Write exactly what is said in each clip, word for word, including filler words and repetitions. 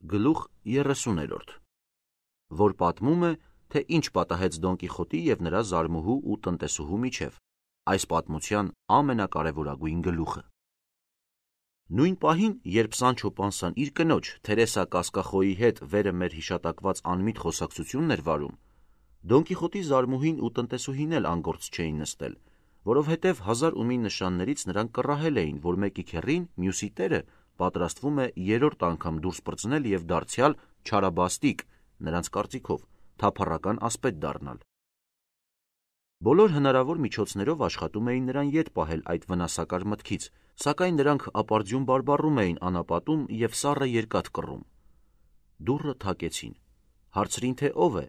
Գլուխ երեսուներորդ, որ պատմում է, թե ինչ պատահեց Դոն Կիխոտի և նրա զարմուհու ու տնտեսուհու միջև, այս պատմության ամենակարևորագույն գլուխը։ Նույն պահին, երբ Սանչո Պանսան իր կնոջ Թերեսա Կասկախոյի հետ վերը մեր հիշատակված անմիտ խոսակցությունն էր վարում, Դոն Կիխոտի զարմուհին ու տնտեսուհին էլ անգործ չէին նստել, որովհետև հազար ու մի նշաններից նրանք կռահել էին, որ մեկի քեռին, մյուսի տերը պատրաստվում է երրորդ անգամ դուրս պրծնել և դարձյալ չարաբաստիկ, նրանց կարծիքով, թափառական ասպետ դառնալ։ Բոլոր հնարավոր միջոցներով աշխատում էին նրան ետ պահել այդ վնասակար մտքից, սակայն նրանք ապարդյուն բարբառում էին անապատում և սառը երկաթ կռում։ Դուռը թակեցին։ Հարցրին, թե ով է։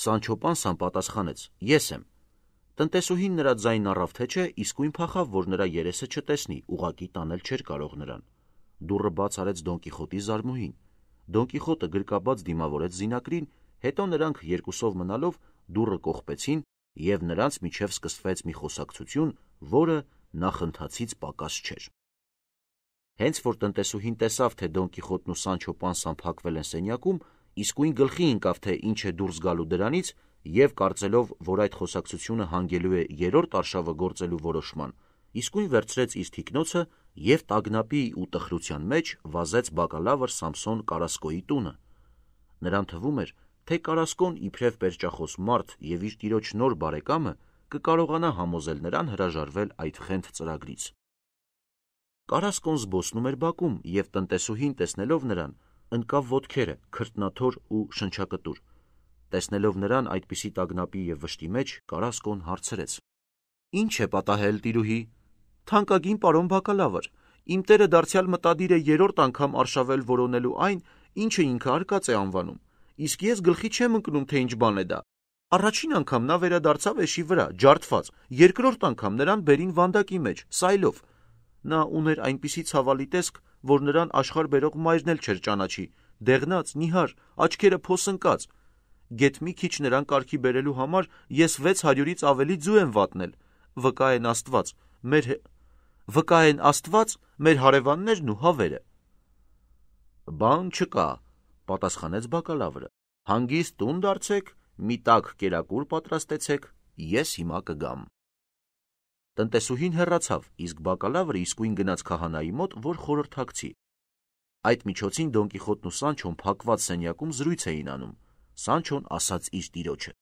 Սանչո Պանսան պատասխանեց. Ես եմ։ Տնտեսուհին նրա ձայնն առավ թե չէ, իսկույն փախավ, որ նրա երեսը չտեսնի, ուղղակի տանել չէր կարող նրան։ Դուռը բաց արեց Դոն Կիխոտի զարմուհին։ Դոն Կիխոտը գրկաբաց դիմավորեց զինակրին, հետո նրանք երկուսով մնալով դուռը կողպեցին և նրանց միջև սկսվեց մի խոսակցություն, որը նախընթացից պակաս չէր։ Հենց որ տնտեսուհին տեսավ, թե Դոն Կիխոտն ու Սանչո Պանսան փակվել են սենյակում, իսկույն գլխի ընկավ, թե ինչ է դուրս գալու դրանից, և կարծելով, որ այդ խոսակցությունը հանգելու է երրորդ արշավը գործելու որոշման, իսկույն վերցրեց իր թիկնոցը և տագնապի ու տխրության մեջ վազեց բակալավր Սամսոն Կարասկոյի տունը։ Նրան թվում էր, թե Կարասկոն իբրև պերճախոս մարդ և իր տիրոջ նոր բարեկամը կկարողանա համոզել նրան հրաժարվել այդ խենթ ծրագրից։ Կարասկոն զբոսնում էր բակում և տնտեսուհին տեսնելով նրան, ընկավ ոտքերը, քրտնաթոր ու շնչակտուր։ Տեսնելով նրան այդպիսի տագնապի և վշտի մեջ, Կարասկոն հարցրեց. Ինչ է պատահել, տիրուհի։ Թանկագին պարոն բակալավր, իմ տերը դարձյալ մտադիր է երրորդ անգամ արշավել որոնելու այն, ինչը ինքը արկած է անվանում, իսկ ես գլխի չեմ ընկնում, թե ինչ բան է դա։ Առաջին անգամ նա վերադարձավ էշի վրա, ջարդված, երկրորդ անգամ նրան բերին վանդակի մեջ, սայլով։ Նա ուներ այնպիսի ցավալի տեսք, որ նրան աշխարհ բերող մայրն էլ չէր ճանաչի, դեղնած, նիհար, աչքերը փոսընկած։ Գեթ մի քիչ նրան կարգի բերելու համար ես վեց հարյուրից ավելի ձու եմ վատնել։ Վկա են Աստված, մեր վկա են Աստված, մեր հարևաններն ու հավերը։ Բան չկա, պատասխանեց բակալավրը։ Հանգիստ տուն դարձեք, մի տաք կերակուր պատրաստեցեք, ես հիմա կգամ։ Տնտեսուհին հեռացավ, իսկ բակալավրը իսկույն գնաց քահանայի մոտ, որ խորհրդակցի։ Այդ միջոցին Դոն Կիխոտն ու Սանչոն փակված սենյակում զրույց էին անում։ Սանչոն ասաց իր տիրոջը.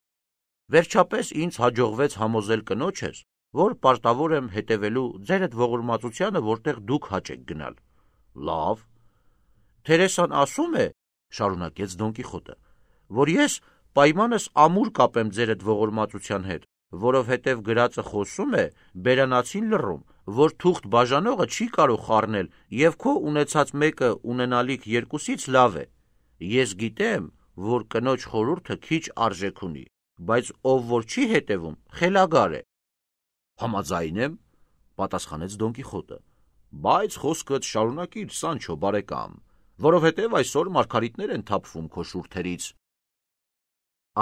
Վերջապես ինձ հաջողվեց համոզել կնոջս, որ պարտավոր եմ հետևելու ձեր այդ ողորմածությանը, որտեղ դուք հաճ եք գնալ։ Լավ։ Թերեսան ասում է, շարունակեց Դոն Կիխոտը, որ ես պայմանս ամուր կապեմ ձեր այդ ողորմածության հետ, որովհետև գրածը խոսում է բերանացին լռում, որ թուղթ բաժանողը չի կարող խառնել և քո ունեցած մեկը ունենալիք երկուսից լավ է։ Ես գիտեմ, որ կնոջ խորհուրդը քիչ արժեք ունի, բայց ով որ չի հետևում, խելագար է։ Համաձայն եմ, պատասխանեց Դոն Կիխոտը, բայց խոսքդ շարունակիր, Սանչո բարեկամ, որովհետև այսօր մարգարիտներ են թափվում քո շուրթերից։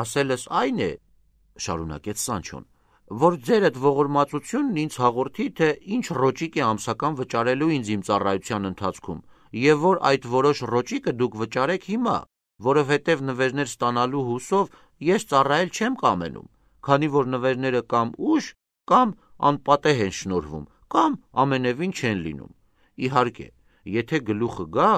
Ասելս այն է, շարունակեց Սանչոն, որ ձեր այդ ողորմածությունն ինձ հաղորդի, թե ինչ ռոճիկ է ամսական վճարելու ինձ իմ ծառայության ընթացքում, և որ այդ որոշ ռոճիկը դուք վճարեք հիմա, որովհետև նվերներ ստանալու հուսով ես ծառայել չեմ կամենում, քանի որ նվերները կամ ուշ, կամ անպատեհ են շնորհվում, կամ ամենևին չեն լինում։ Իհարկե, եթե գլուխը գա,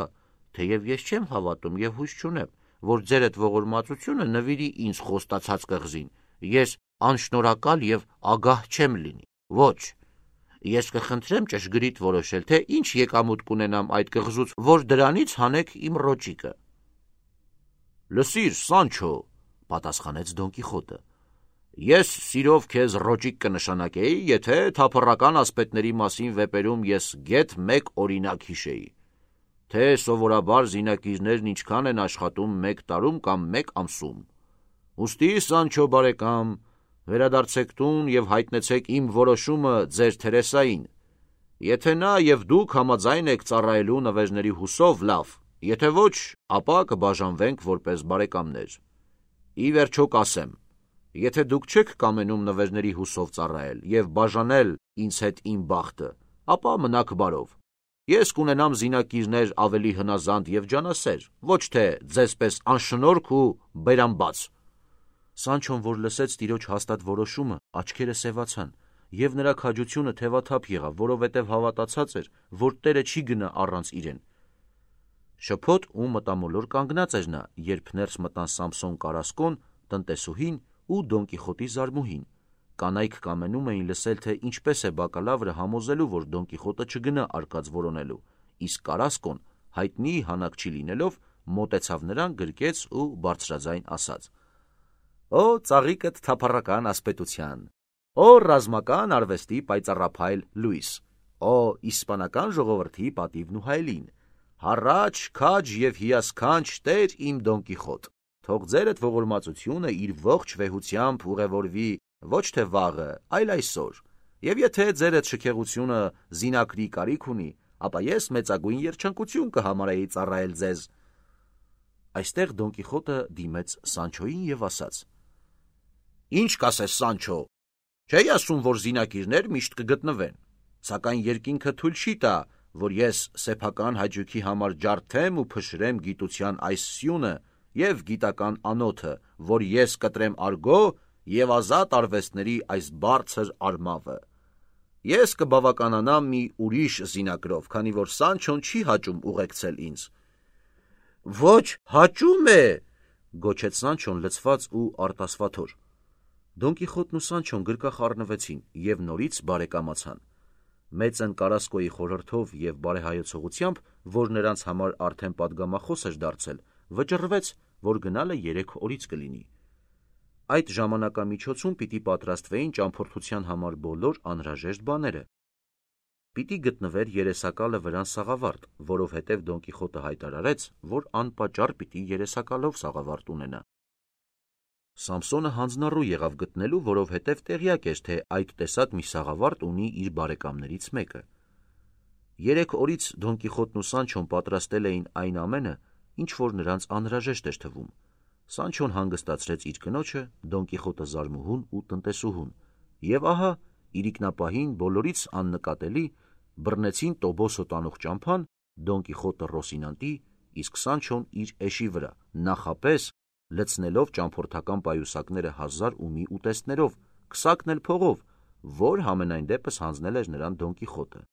թեև ես չեմ հավատում և հույս չունեմ, որ ձեր այդ ողորմածությունը նվիրի ինձ խոստացած կղզին, ես անշնորհակալ և ագահ չեմ լինի։ Ոչ, ես կխնդրեմ ճշգրիտ որոշել, թե ինչ եկամուտ կունենամ այդ կղզուց, որ դրանից հանեք իմ ռոճիկը։ Լսիր, Սանչո, պատասխանեց Դոն Կիխոտը, ես սիրով քեզ ռոճիկ կնշանակեի, եթե թափառական ասպետների մասին վեպերում ես գեթ մեկ օրինակ հիշեի, թե սովորաբար զինակիրներն ինչքան են աշխատում մեկ տարում կամ մեկ ամսում։ Ուստի, Սանչո բարեկամ, վերադարձեք տուն և հայտնեցեք իմ որոշումը ձեր Թերեսային։ Եթե նա և դուք համաձայն եք ծառայելու նվերների հուսով, լավ, եթե ոչ, ապա կբաժանվենք որպես բարեկամներ։ Ի վերջո կասեմ, եթե դուք չեք կամենում նվերների հուսով ծառայել և բաժանել ինձ հետ իմ բախտը, ապա մնաք բարով։ Ես կունենամ զինակիրներ ավելի հնազանդ և ջանասեր, ոչ թե ձեզպես անշնորհք ու բերանբաց։ Սանչոն, որ լսեց տիրոջ հաստատ որոշումը, աչքերը սևացան, և նրա քաջությունը թևաթափ եղավ, որովհետև հավատացած էր, որ Տերը չի գնա առանց իրեն։ Շփոթ ու մտամոլոր կանգնած էր նա, երբ ներս մտան Սամսոն Կարասկոն, տնտեսուհին ու Դոն Կիխոտի զարմուհին։ Կանայք կամենում էին լսել, թե ինչպես է բակալավրը համոզելու, որ Դոն Կիխոտը չգնա արկած որոնելու, իսկ Կարասկոն, հայտնի հանակչի լինելով, մոտեցավ նրան, գրկեց ու բարձրաձայն ասաց. «Օ ծաղիկդ թափառական ասպետության, օ ռազմական արվեստի պայծառափայլ լույս, օ իսպանական ժողովրդի պատիվն ու հայելին, հառաչ, քաջ և հիասքանչ Տեր իմ Դոն Կիխոտ, թող ձերդ ողորմածությունը իր ողջ վեհությամբ ուղևորվի ոչ թե վաղը, այլ այսօր, և եթե ձերդ շքեղությունը զինակրի կարիք ունի, ապա ես մեծագույն երջանկություն կհամարեի ծառայել ձեզ»։ Այստեղ Դոն Կիխոտը դիմեց Սանչոյին և ասաց. «Ինչ կասես, Սանչո, չէի ասում, որ զինակիրներ միշտ կգտնվեն, սակայն երկինքը թույլ չի տա, որ ես սեփական հաճույքի համար ջարդեմ ու փշրեմ գիտության այս սյունը և գիտական անոթը, որ ես կտրեմ արգո և ազատ արվեստների այս բարձր արմավը։ Ես կբավականանամ մի ուրիշ զինակրով, քանի որ Սանչոն չի հաճում ուղեկցել ինձ»։ «Ոչ, հաճում է», գոչեց Սանչոն լցված ու արտասվաթոր։ Դոն Կիխոտն ու Սանչոն գրկախ առնվեցին և նորից բարեկամացան։ Մեծն Կարասկոյի խորհրդով և բարեհայեցողությամբ, որ նրանց համար արդեն պատգամախոս էր դարձել, վճռվեց, որ գնալը երեք օրից կլինի։ Այդ ժամանակամիջոցում պիտի պատրաստվեին ճամփորդության համար բոլոր անհրաժեշտ բաները։ Պիտի գտնվեր երեսակալը վրան սաղավարտ, որովհետև Դոն Կիխոտը հայտարարեց, որ անպատճառ պիտի երեսակալով սաղավարտ ունենա։ Սամսոնը հանձնառու եղավ գտնելու, որովհետև տեղյակ էր, թե այդ տեսակ մի սաղավարտ ունի իր բարեկամներից մեկը։ Երեք օրից Դոն Կիխոտն ու Սանչոն պատրաստել էին այն ամենը, ինչ որ նրանց անհրաժեշտ էր թվում։ Սանչոն հանգստացրեց իր կնոջը, Դոն Կիխոտը զարմուհուն ու տնտեսուհուն, և ահա իրիկնապահին բոլորից աննկատելի բռնեցին Տոբոսո տանող ճամփան, Դոն Կիխոտը Ռոսինանտի, իսկ Սանչոն իր էշի վրա, նախապես լցնելով ճամփորդական պայուսակները հազար ու մի ուտեստներով, քսակն էլ փողով, որ համենայն դեպս հանձնել էր նրան Դոն Կիխոտը։